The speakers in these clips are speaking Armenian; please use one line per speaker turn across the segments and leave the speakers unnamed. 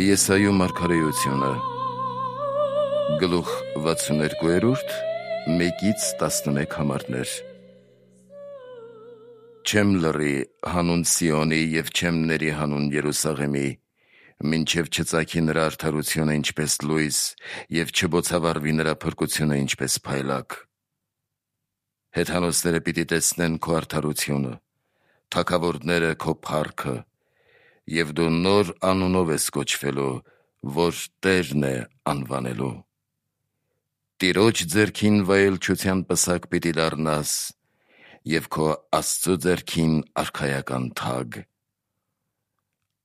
Եսայու մարգարեությունը գլուխ 62 1-11 համարներ։ Չեմ լռի հանուն Սիոնի և չեմ ների հանուն Երուսաղեմի, մինչև չծագի նրա արդարությունը ինչպես լույս և չբոցավառվի նրա փրկությունը ինչպես փայլակ։ Հեթանոսները պիտի տեսնեն քո արդարությունը, թագավորները քո փառքը, և դու նոր անունով ես կոչվելու, որ Տերն է անվանելու։ Տիրոջ ձեռքին վայելչության պսակ պիտի դառնաս և քո Աստծու ձեռքին արքայական թագ։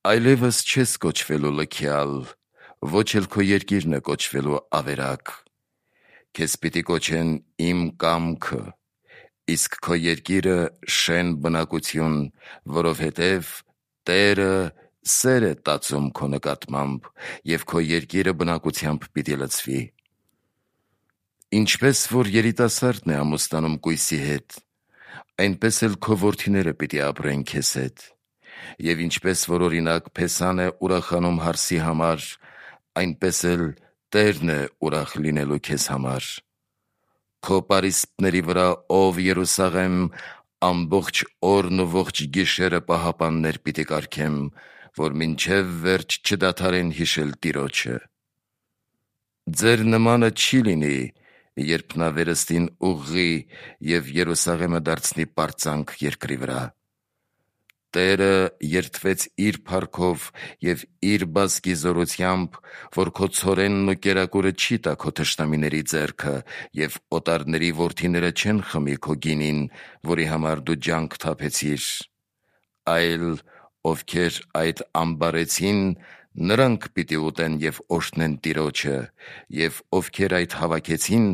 Այլևս չես կոչվելու լքյալ, ոչ էլ քո երկիրն է կոչվելու ավերակ։ Քեզ պիտի կոչեն իմ կամքը, իսկ քո երկիրը շեն բնակություն, որովհետև Տերը սեր է տածում քո նկատմամբ, և քո երկիրը բնակությամբ պիտի լցվի։ Ինչպես որ երիտասարդն է ամուսնանում կույսի հետ, այնպես էլ քո որդիները պիտի ապրեն քեզ հետ, և ինչպես որ օրինակ փեսան է ուրախանում հարսի համար, այնպես էլ Տերն է ուրախ լինելու քեզ համար։ Քո պարիսպների վրա, ով Երուսաղեմ, ամբողջ օրն ու ողջ գիշերը պահապաններ պիտի կարգեմ, որ մինչև վերջ չդադարեն հիշել Տիրոջը։ Ձեր նմանը չի լինի, երբ նա վերստին ուղղի և Երուսաղեմը դարձնի պարծանք երկրի վրա։ Տերը երդվեց իր փառքով և իր բազկի զորությամբ, որ քո ցորենն ու կերակուրը չի տա քո թշնամիների ձեռքը, և օտարների որդիները չեն խմի քո գինին, որի համար դու ջանք թափեցիր, այլ ովքեր այդ ամբարեցին, նրանք պիտի ուտեն և օրհնեն Տիրոջը, և ովքեր այդ հավաքեցին,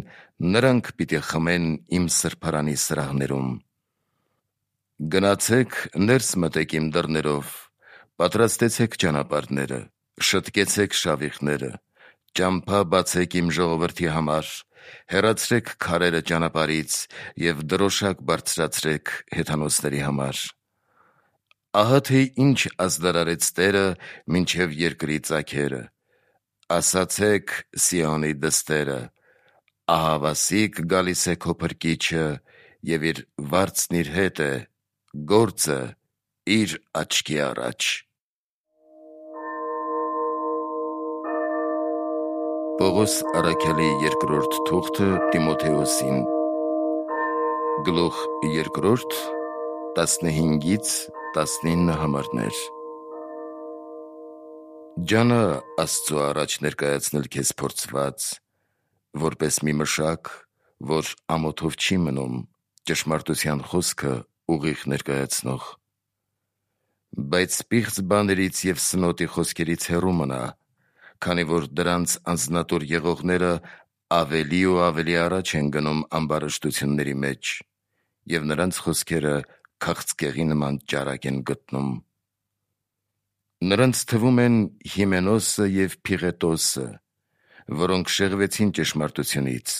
նրանք պիտի խմեն իմ սրբարանի սրահներում։ Գնացեք, ներս մտեք իմ դռներով, պատրաստեցեք ճանապարհները, շտկեցեք շավիղները, ճամփա բացեք իմ ժողովրդի համար, հեռացրեք քարերը ճանապարհից և դրոշակ բարձրացրեք հեթանոսների համար։ Ահա թե ինչ ազդարարեց Տերը մինչև երկրի ծագերը. ասացեք Սիոնի դստերը, ահավասիկ գալիս է քո փրկիչը, և իր վարձն իր հետ է, գործը իր աչքի առաջ։ Պողոս առաքյալի երկրորդ թուղթը Տիմոթեոսին գլուխ 2 15-19 համարներ։ Ջանա Աստծու առաջ ներկայացնել քեզ փորձված, որպես մի մշակ, որ ամոթով չի մնում, ճշմարտության խոսքը ուղիղ ներկայացնող։ Բայց պիղծ բաներից և սնոտի խոսքերից հեռու մնա, քանի որ դրանց անձնատուր եղողները ավելի ու ավելի առաջ են գնում ամբարշտությունների մեջ, և նրանց խոսքերը քաղցկեղի նման ճարակ են գտնում։ Նրանց թվում են Հիմենոսը և Փիղետոսը, որոնք շեղվեցին ճշմարտությունից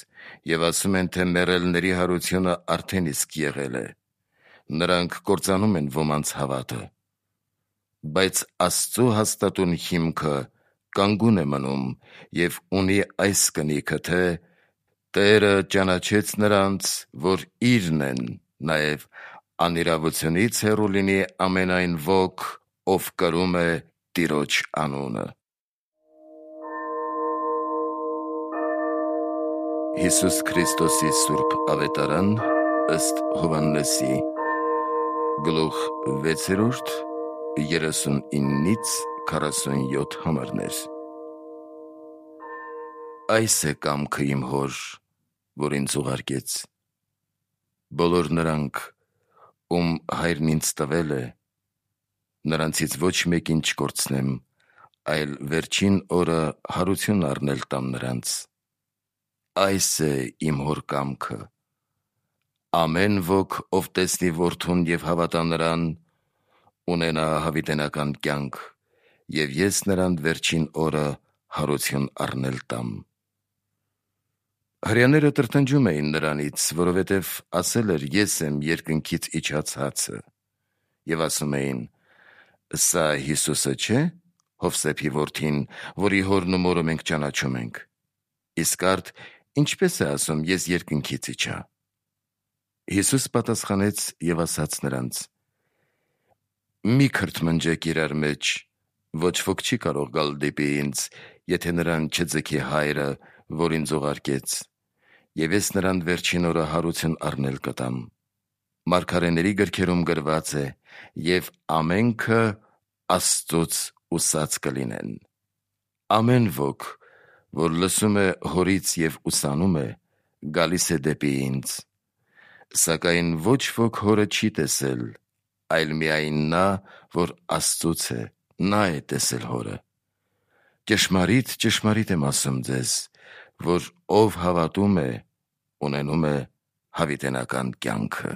և ասում են, թե մեռելների հարությունը արդեն իսկ եղել է։ Նրանք կործանում են ոմանց հավատը։ Բայց Աստծու հաստատուն հիմքը կանգուն է մնում և ունի այս կնիքը, թե Տերը ճանաչեց նրանց, որ Իրն են, նաև անիրավությունից հեռու լինի ամեն այն ոք, ով կրում է Տիրոջ անունը։ Հիսուս Քրիստոսի սուրբ ավետարան ըստ Հովհաննեսի գլուխ 6 39-47 համարներ։ Այս է կամքը իմ Հոր, որ ինձ ուղարկեց։ Բոլոր նրանք, ում Հայրն ինձ տվել է, նրանցից ոչ մեկին չկորցնեմ, այլ վերջին օրը հարություն առնել տամ նրանց։ Այս է իմ Հոր կամքը. ամեն ոք, ով տեսնի Որդուն և հավատա նրան, ունենա հավիտենական կյանք, և ես նրան վերջին օրը հարություն առնել տամ։ Հրեաները տրտնջում էին նրանից, որովհետև ասել էր. ես եմ երկնքից իջած հացը, և ասում էին. սա Հիսուսը չէ՞, Հովսեփի որդին, որի հորն ու մորը մենք ճանաչում ենք։ Իսկ արդ ինչպես է ասում, ես երկնքից իջա։ Հիսուս պատասխանեց եւ ասաց նրանց. «Մի քրթմնջեք իրար մեջ, ոչ ոք չի կարող գալ դեպի ինձ, եթե նրան չձգի Հայրը, որ ինձ ուղարկեց, եւ ես նրան վերջին օրը հարություն առնել կտամ։ Մարգարեների գրքերում գրված է, եւ ամենքը Աստծուց ուսած կլինեն։ Ամեն ոք, որ լսում է հորից եւ ուսանում է, գալիս է դեպի ինձ։ Սակայն ոչ ոք հորը չի տեսել, այլ միայն նա, որ Աստծուց է, նա է տեսել հորը։ Ճշմարիտ, ճշմարիտ եմ ասում ձեզ, որ ով հավատում է, ունենում է հավիտենական կյանքը»։